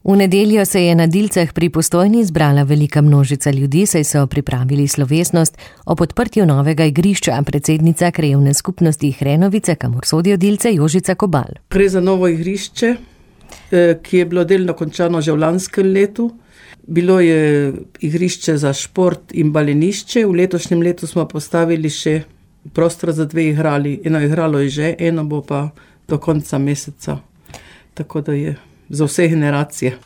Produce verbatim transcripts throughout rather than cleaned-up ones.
V nedeljo se je na Dilcah pri Postojni zbrala velika množica ljudi, saj so pripravili slovesnost ob odprtju novega igrišča. Predsednica krajevne skupnosti Hrenovice, kamor sodijo Dilce, Jožica Kobal. Gre za novo igrišče, ki je bilo delno končano že v lanskem letu. Bilo je igrišče za šport in balinišče. V letošnjem letu smo postavili še prostor za dve igrali. Eno igralo je že, eno bo pa do konca meseca. Tako da je za vse generacije.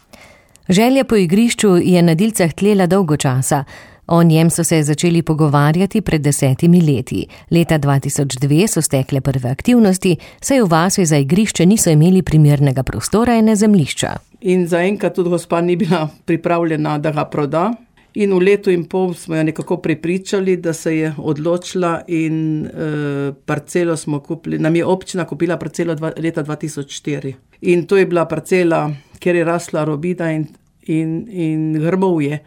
Želja po igrišču je na Dilcah tlela dolgo časa. O njem so se začeli pogovarjati pred desetimi leti. Leta dva tisoč dve so stekle prve aktivnosti, saj v vasi za igrišče niso imeli primernega prostora in zemljišča. In zaenkrat tudi gospa ni bila pripravljena, da ga proda. In v letu in pol smo jo nekako prepričali, da se je odločila in e, parcelo smo kupili. Nam je občina kupila parcelo dva, leta dva tisoč štiri. In to je bila parcela, kjer je rasla robida in, in, in grmovje.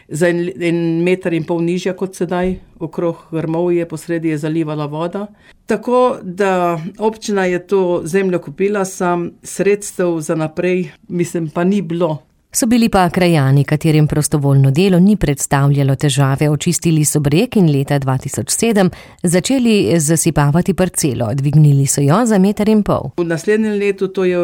Za en, en meter in pol nižja kot sedaj, okrog grmovje, posredi je zalivala voda. Tako da občina je to zemljo kupila, sam sredstev za naprej, mislim, pa ni bilo. So bili pa krajani, katerim prostovoljno delo ni predstavljalo težave. Očistili so breg in leta dva tisoč sedem začeli zasipavati parcelo. Dvignili so jo za meter in pol. V naslednjem letu, to je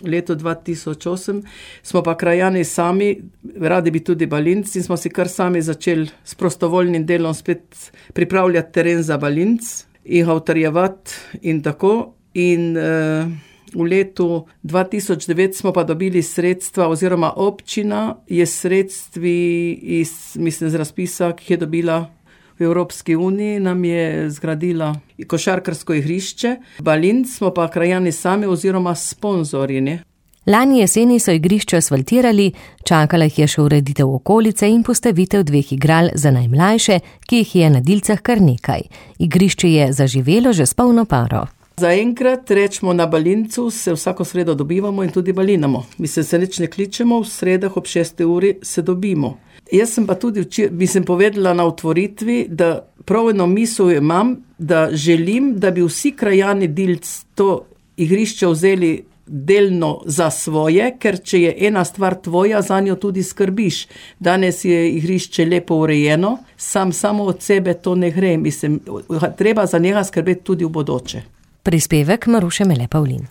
leto dva tisoč osem, smo pa krajani sami, radi bi tudi balinci, in smo si kar sami začeli s prostovoljnim delom spet pripravljati teren za balinc in ga utrjevati in tako. In uh, v letu dva tisoč devet smo pa dobili sredstva, oziroma občina je sredstvi iz, mislim, z razpisa, ki je dobila v Evropski uniji, nam je zgradila košarkarsko igrišče. Balinc smo pa krajani sami oziroma sponzorji, ne? Lani jeseni so igrišče asfaltirali, čakala jih je še ureditev okolice in postavitev dveh igral za najmlajše, ki jih je na Dilcah kar nekaj. Igrišče je zaživelo že s polno paro. Zaenkrat rečemo na balincu, se vsako sredo dobivamo in tudi balinamo. Mislim, se nič ne kličemo, v sredah ob šesti uri se dobimo. Jaz sem pa tudi včer, bi sem povedala na otvoritvi, da prav eno misel imam, da želim, da bi vsi krajani Dilc to igrišče vzeli delno za svoje, ker če je ena stvar tvoja, za njo tudi skrbiš. Danes je igrišče lepo urejeno, sam samo od sebe to ne gre. Mislim, treba za njega skrbeti tudi v bodoče. Prispevek Maruše Mele Pavlin.